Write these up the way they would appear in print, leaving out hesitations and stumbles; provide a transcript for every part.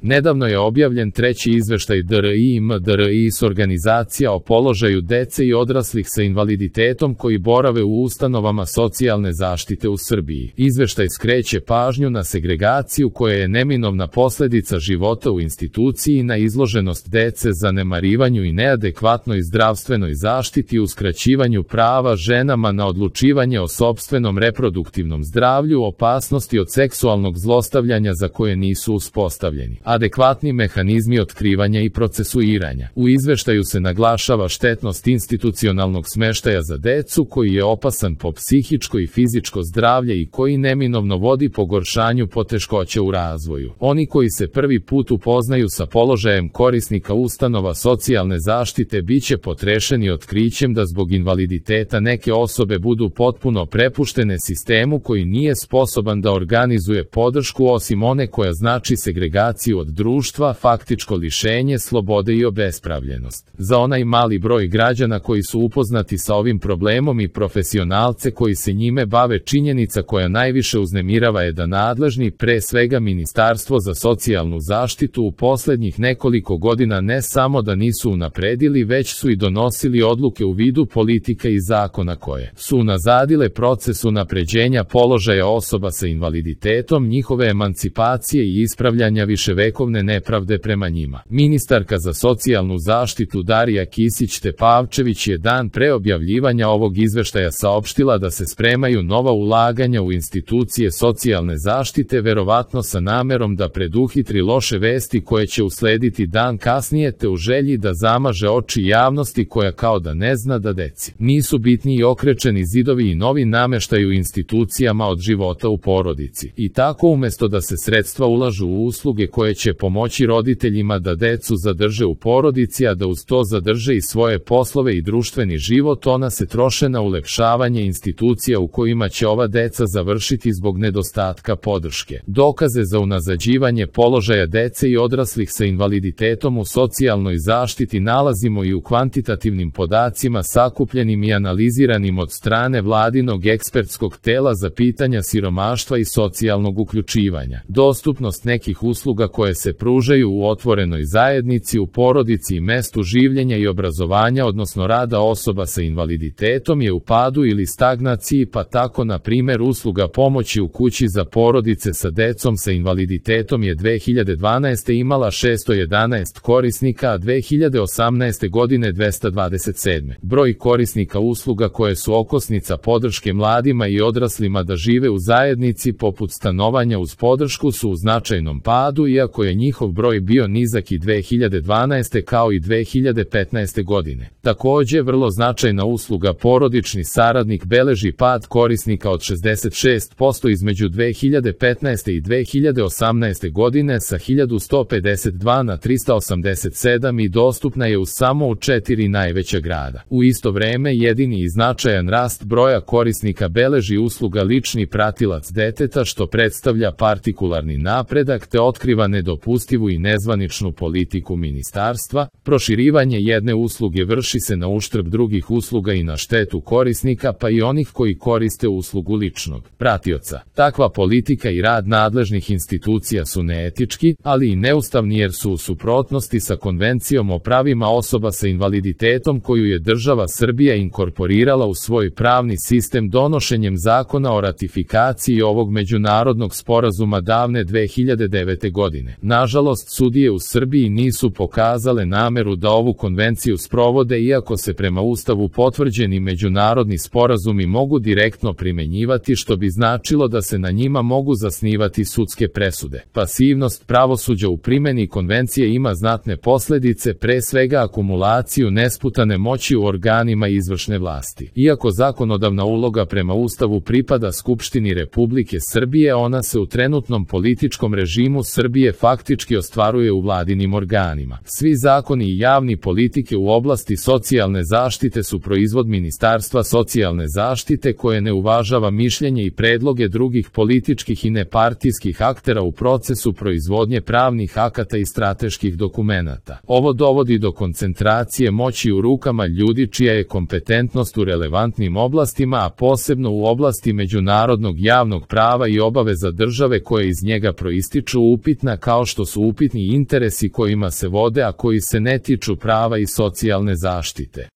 Nedavno je objavljen treći izveštaj DRI-MDRIS organizacija o položaju dece i odraslih sa invaliditetom koji borave u ustanovama socijalne zaštite u Srbiji. Izveštaj skreće pažnju na segregaciju koja je neminovna posledica života u instituciji i na izloženost dece zanemarivanju i neadekvatnoj zdravstvenoj zaštiti i uskraćivanju prava ženama na odlučivanje o sopstvenom reproduktivnom zdravlju, opasnosti od seksualnog zlostavljanja za koje nisu uspostavljeni adekvatni mehanizmi otkrivanja i procesuiranja. U izveštaju se naglašava štetnost institucionalnog smeštaja za decu koji je opasan po psihičko i fizičko zdravlje i koji neminovno vodi pogoršanju poteškoća u razvoju. Oni koji se prvi put upoznaju sa položajem korisnika ustanova socijalne zaštite biće potrešeni otkrićem da zbog invaliditeta neke osobe budu potpuno prepuštene sistemu koji nije sposoban da organizuje podršku osim one koja znači segregaciju od društva, faktičko lišenje slobode i obespravljenost. Za onaj mali broj građana koji su upoznati sa ovim problemom i profesionalce koji se njime bave, činjenica koja najviše uznemirava je da nadležni, pre svega Ministarstvo za socijalnu zaštitu, u poslednjih nekoliko godina ne samo da nisu unapredili, već su i donosili odluke u vidu politika i zakona koje su unazadile proces unapređenja položaja osoba sa invaliditetom, njihove emancipacije i ispravljanja viševekovne nepravde prema njima. Ministarka za socijalnu zaštitu Darija Kisić-Tepavčević je dan pre objavljivanja ovog izveštaja saopštila da se spremaju nova ulaganja u institucije socijalne zaštite, verovatno sa namerom da preduhitri loše vesti koje će uslediti dan kasnije, te u želji da zamaže oči javnosti koja kao da ne zna da deci nisu bitni i okrečeni zidovi i novi nameštaj u institucijama od života u porodici. I tako umesto da se sredstva ulažu u usluge koje će pomoći roditeljima da decu zadrže u porodici, a da uz to zadrže i svoje poslove i društveni život, ona se troše na ulepšavanje institucija u kojima će ova deca završiti zbog nedostatka podrške. Dokaze za unazađivanje položaja dece i odraslih sa invaliditetom u socijalnoj zaštiti nalazimo i u kvantitativnim podacima sakupljenim i analiziranim od strane vladinog ekspertskog tela za pitanja siromaštva i socijalnog uključivanja. Dostupnost nekih usluga koje se pružaju u otvorenoj zajednici, u porodici i mestu življenja i obrazovanja, odnosno rada osoba sa invaliditetom, je u padu ili stagnaciji, pa tako na primer usluga pomoći u kući za porodice sa decom sa invaliditetom je 2012. imala 611 korisnika, a 2018. godine 227. Broj korisnika usluga koje su okosnica podrške mladima i odraslima da žive u zajednici, poput stanovanja uz podršku, su u značajnom padu, iako je njihov broj bio nizak i 2012. kao i 2015. godine. Takođe, vrlo značajna usluga porodični saradnik beleži pad korisnika od 66% između 2015. i 2018. godine sa 1152 na 387 i dostupna je samo u 4 najveća grada. U isto vreme jedini i značajan rast broja korisnika beleži usluga lični pratilac deteta, što predstavlja partikularni napredak te otkriva nedopustivu i nezvaničnu politiku ministarstva. Proširivanje jedne usluge vrši se na uštrb drugih usluga i na štetu korisnika, pa i onih koji koriste uslugu ličnog pratioca. Takva politika i rad nadležnih institucija su neetički, ali i neustavni jer su u suprotnosti sa Konvencijom o pravima osoba sa invaliditetom koju je država Srbija inkorporirala u svoj pravni sistem donošenjem zakona o ratifikaciji ovog međunarodnog sporazuma davne 2009. godine. Nažalost, sudije u Srbiji nisu pokazale nameru da ovu konvenciju sprovode, iako se prema Ustavu potvrđeni međunarodni sporazumi mogu direktno primenjivati, što bi značilo da se na njima mogu zasnivati sudske presude. Pasivnost pravosuđa u primeni konvencije ima znatne posledice, pre svega akumulaciju nesputane moći u organima izvršne vlasti. Iako zakonodavna uloga prema Ustavu pripada Skupštini Republike Srbije, ona se u trenutnom političkom režimu Srbije faktički ostvaruje u vladinim organima. Svi zakoni i javni politike u oblasti socijalne zaštite su proizvod Ministarstva socijalne zaštite koje ne uvažava mišljenje i predloge drugih političkih i nepartijskih aktera u procesu proizvodnje pravnih akata i strateških dokumenata. Ovo dovodi do koncentracije moći u rukama ljudi čija je kompetentnost u relevantnim oblastima, a posebno u oblasti međunarodnog javnog prava i obaveza države koje iz njega proističu upitna, kao što su upitni interesi kojima se vode, a koji se ne tiču prava i socijalne zaštite.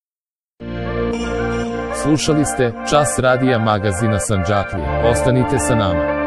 Slušali ste Čas radija magazina Sandžaklija. Ostanite sa nama.